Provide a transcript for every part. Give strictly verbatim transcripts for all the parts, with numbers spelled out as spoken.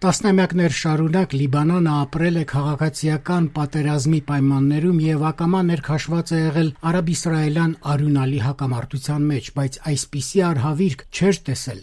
Տասնամյակներ շարունակ Լիբանանը ապրել է քաղաքացիական պատերազմի պայմաններում եւ ակամա ներքաշված է եղել արաբ-իսրայելյան արյունալի հակամարտության մեջ, բայց այսպիսի արհավիրք չէր տեսել։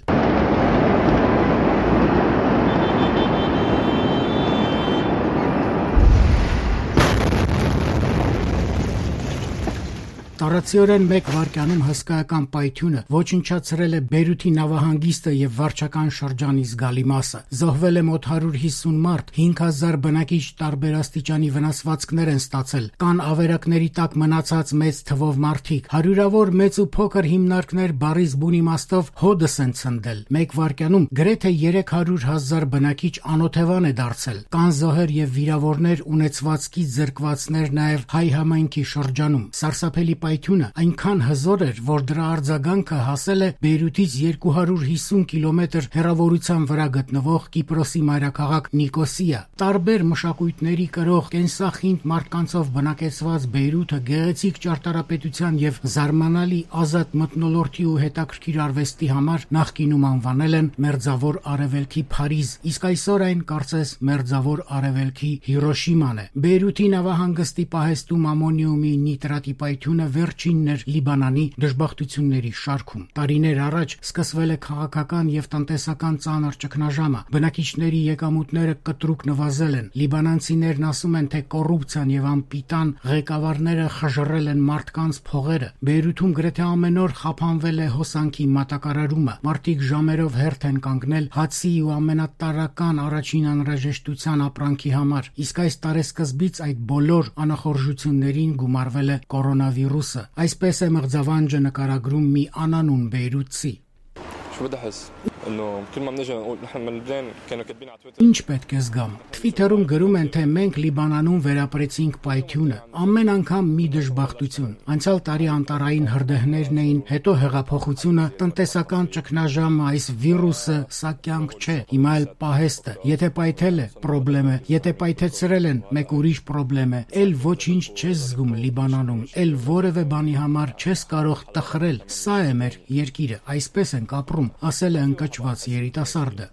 Տարածիորեն մեկ վայրկյանում հսկայական պայթյունը ոչնչացրել է Բեյրութի նավահանգիստը եւ վարչական շրջանի զգալի մասը։ Զոհվել է մոտ հարյուր հիսուն մարդ, հինգ հազար բնակիչ տարբեր աստիճանի վնասվածքներ են ստացել։ Կան ավերակների տակ մնացած մեծ թվով մարդիկ։ Հարյուրավոր մեծ ու փոքր հիմնարկներ բարիզ բուն իմաստով հոդս են ցնդել։ Մեկ վայրկյանում գրեթե երեք հարյուր հազար բնակիչ անօթևան է դարձել։ Կան զոհեր եւ վիրավորներ, ունեցվածքի զրկվածներ նաեւ հայ համայնքի շրջանում։ Սարսափելի պայթյունը այնքան հզոր էր, որ դրա արձագանքը հասել է Բեյրութից երկու հարյուր հիսուն կիլոմետր հեռավորության վրա գտնվող Կիպրոսի մայրաքաղաք Նիկոսիա։ Տարբեր մշակույթների կրող կենսախինդ մարդկանցով բնակեցված Բեյրութը գեղեցիկ ճարտարապետության եւ զարմանալի ազատ մթնոլորտի ու հետաքրքիր արվեստի համար նախկինում անվանել են Մերձավոր Արևելքի Փարիզ, իսկ այսօր այն կարծես Մերձավոր Արևելքի Հիրոշիման է։ Բեյրութի նավահանգստի պահեստում ամոնիումի նիտրատի պայթյունը վերջինն էր Լիբանանի դժբախտությունների շարքում։ Տարիներ առաջ սկսվել է քաղաքական եւ տնտեսական ծանր ճգնաժամը։ Բնակիչների եկամուտները կտրուկ նվազել են։ Լիբանանցիներն ասում են, թե կոռուպցիան եւ անպիտան ղեկավարները խժռել են մարդկանց փողերը։ Բեյրութում գրեթե ամեն օր խափանվել է հոսանքի մատակարարումը։ Մարդիկ ժամերով հերթ են կանգնել հացի ու ամենատարրական առաջին անհրաժեշտության ապրանքի համար։ Իսկ այս տարեսկզբից այդ բոլոր անախորժություններին գումարվել է կորոնավիրուսը։ Այսպես է մղձավանջը նկարագրում մի անանուն բեյրութցի։ Ինչ պետք է զգամ։ Թվիթերում գրում են, թե մենք Լիբանանում վերապրեցինք պայթյունը։ Ամեն անգամ մի դժբախտություն։ Անցյալ տարի անտարային հրդեհներն էին, հետո հեղափոխությունը, տնտեսական ճգնաժամը, այս վիրուսը, սա կյանք չէ։ Հիմա էլ պահեստը։ Եթե պայթել է, պրոբլեմ է։ Եթե պայթեցրել են, մեկ ուրիշ պրոբլեմ է։ Էլ ոչինչ չես զգում Լիբանանում, էլ որևէ բանի համար չես կարող տխրել։ Սա է մեր երկիրը, այսպես ենք ապրում, ասել է ընկճված երիտասարդը։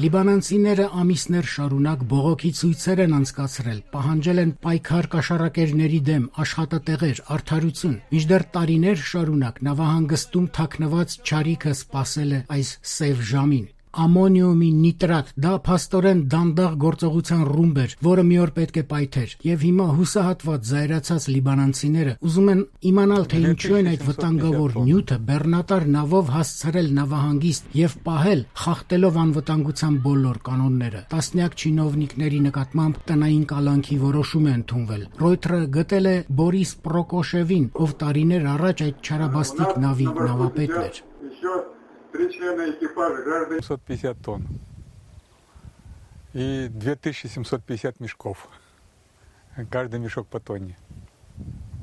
Լիբանանցիները ամիսներ շարունակ բողոքի ցույցեր են անցկացրել, պահանջել են պայքար կաշառակերների դեմ, աշխատատեղեր, արդարություն։ Մինչդեռ տարիներ շարունակ նավահանգստում թաքնված չարիքը սպասել է այս սև ժամին։ Ամոնիումի նիտրատ, դա փաստորեն դանդաղ գործողության ռումբ էր, որը մի օր պետք է պայթեր, եւ հիմա հուսահատված զայրացած լիբանանցիները ուզում են իմանալ, թե ինչու են այդ վտանգավոր նյութը բեռնատար նավով հասցրել նավահանգիստ եւ պահել, խախտելով անվտանգության բոլոր կանոնները։ Տասնյակ չինովնիկների նկատմամբ տնային կալանքի որոշում է ընդունվել։ Ռոյթերը գտել է Բորիս Պրոկոշևին, ով տարիներ առաջ այդ չարաբաստիկ նավի նավապետն էր։ Три члена экипажа граждане. семьсот пятьдесят тонн и две тысячи семьсот пятьдесят мешков. Каждый мешок по тонне.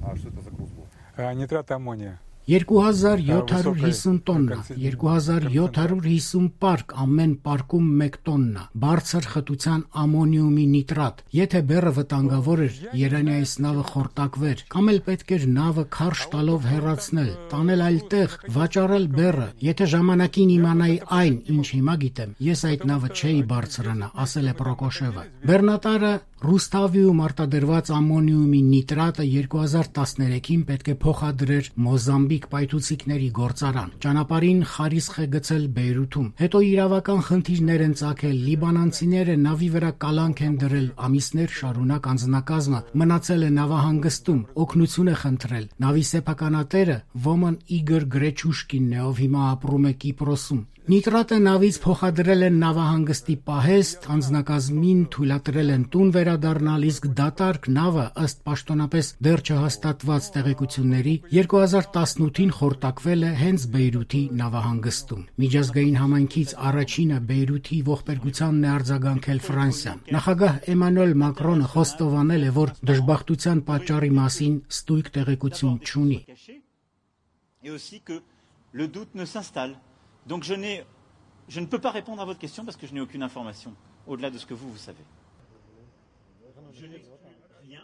А что это за груз был? А, нитрат аммония. երկու հազար յոթ հարյուր հիսուն տոննա, երկու հազար յոթ հարյուր հիսուն պարկ, ամեն պարկում մեկ տոննա, բարձր խտության ամոնիումի նիտրատ։ Եթե բեռը վտանգավոր էր, երանի այս նավը խորտակվեր, կամ էլ պետք էր նավը քարշ տալով հեռացնել, տանել այլ տեղ, վաճառել բեռը։ Եթե ժամանակին իմանայի այն, ինչ հիմա գիտեմ, ես այդ նավը չէի բարձրանա, ասել է Պրոկոշևը։ Բեռնատարը Ռուսթավիում արտադրված ամոնիումի նիտրատը երկու հազար տասներեքին պետք է փոխադրեր Մոզամբիկ պայթուցիկների գործարան։ Ճանապարհին խարիսխ է գցել Բեյրութում։ Հետո իրավական խնդիրներ են ծագել, լիբանանցիները նավի վրա կալանք են դրել, ամիսներ շարունակ անձնակազմը մնացել է նավահանգստում, օգնություն է խնդրել։ Նավի սեփականատերը Ոման Իգոր Գրեչուշկինն է, ով հիմա ապրում է Կիպրոսում։ Նիտրատը նավից փոխադրել են նավահանգստի պահեստ, անձնակազմին թույլատրել են տուն վերադառնալ, իսկ դատարկ նավը ըստ պաշտոնապես դեռ չհաստատված տեղեկությունների երկու հազար տասնութին խորտակվել է հենց Բեյրութի նավահանգստում։ Միջազգային համայնքից առաջինը Բեյրութի ողբերգությանն է արձագանքել Ֆրանսիան։ Նախագահ Էմանուել Մակրոնը խոստովանել է, որ դժբախտության պատճառի մասին ստույգ տեղեկություն չունի։ Donc je, n'ai, je ne peux pas répondre à votre question parce que je n'ai aucune information au-delà de ce que vous, vous savez. Je n'ai rien.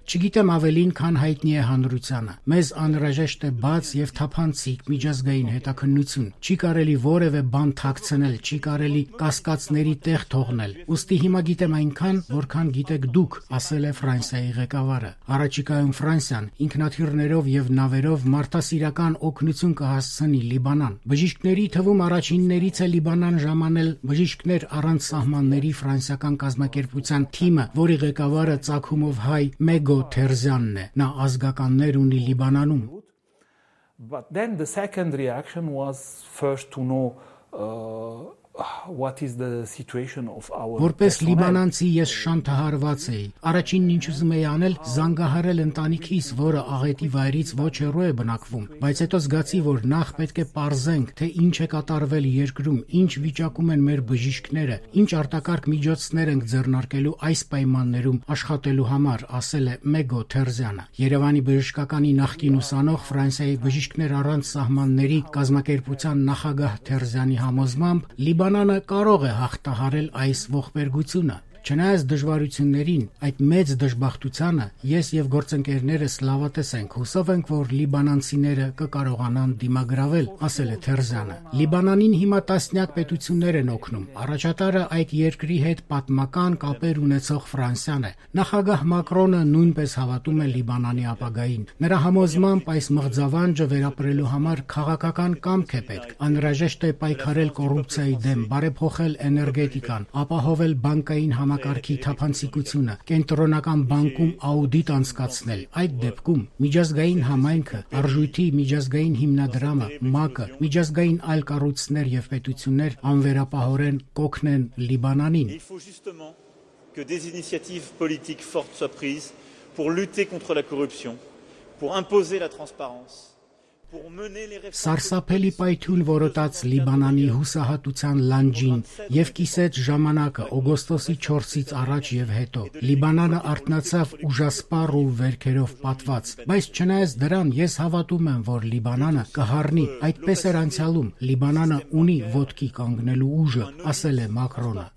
Չգիտեմ ավելին, քան հայտնի է հանրությանը։ Մեզ անհրաժեշտ է բաց եւ թափանցիկ միջազգային հետաքննություն։ Չի կարելի որևէ բան թաքցնել, չի կարելի կասկածների տեղ թողնել։ Ոստի հիմա գիտեմ այնքան, որքան գիտեք դուք, ասել է Ֆրանսիայի ղեկավարը։ Առաջիկայում Ֆրանսիան ինքնաթիռներով եւ նավերով մարդասիրական օգնություն կհասցնի Լիբանան։ Բժիշկների թվում առաջիններից է Լիբանան ժամանել բժիշկներ առանց սահմանների ֆրանսիական կազմակերպության թիմը, որի ղեկավարը ծագումով հայ Մեգո Թերզյանն է։ Նա ազգականներ ունի Լիբանանում։ But then the second reaction was first to know uh, what is the situation of our Որպես լիբանանցի ես շանթահարված էի։ Առաջինն ինչ ուզում էի անել, զանգահարել ընտանիքիս, որը աղետի վայրից ոչ հեռու է բնակվում, բայց հետո զգացի, որ նախ պետք է պարզենք, թե ինչ է կատարվել երկրում, ինչ վիճակում են մեր բժիշկները, ինչ արտակարգ միջոցներ ենք ձեռնարկելու այս պայմաններում աշխատելու համար, ասել է Մեգո Թերզյանը։ Երևանի բժշկականի նախկին ուսանող Ֆրանսիայի բժիշկներ առանց սահմանների կազմակերպության նախագահ Թերզյանի համոզմամբ Լիբանանը կարող է հաղթահարել այս ողբերգությունը։ Չնայած դժվարություններին, այդ մեծ դժբախտությանը, ես եւ գործընկերներս լավատես ենք, հուսով ենք, որ լիբանանցիները կկարողանան դիմագրավել, ասել է Թերզյանը։ Լիբանանին հիմա տասնյակ պետություններ են օգնում։ Առաջատարը այդ երկրի հետ պատմական կապեր ունեցող Ֆրանսիան է։ Նախագահ Մակրոնը նույնպես հավատում է Լիբանանի ապագային։ Նրա համոզմամբ այս մղձավանջը վերապրելու համար քաղաքական կամք է պետք։ Անհրաժեշտ է պայքարել կոռուպցիայի դեմ, բարեփոխել էներգետիկան, ապահովել բանկային համակարգի թափանցիկությունը, կենտրոնական բանկում աուդիտ անցկացնել։ Այդ դեպքում միջազգային համայնքը, արժույթի միջազգային հիմնադրամը, ՄԱԿ-ը, միջազգային այլ կառույցներ եւ պետություններ անվերապահորեն կօգնեն Լիբանանին։ Il faut justement que des initiatives politiques fortes soient prises pour lutter contre la corruption, pour imposer la transparence. Սարսափելի պայթյուն որոտաց Լիբանանի հուսահատության լանջին եւ կիսեց ժամանակը օգոստոսի չորսից առաջ եւ հետո։ Լիբանանը արթնացավ ուժասպառ ու վերքերով պատված, բայց չնայած դրան ես հավատում եմ, որ Լիբանանը կհառնի, այդպես էր անցյալում։ Լիբանանը ունի ոտքի կանգնելու ուժը, ասել է Մակրոնը։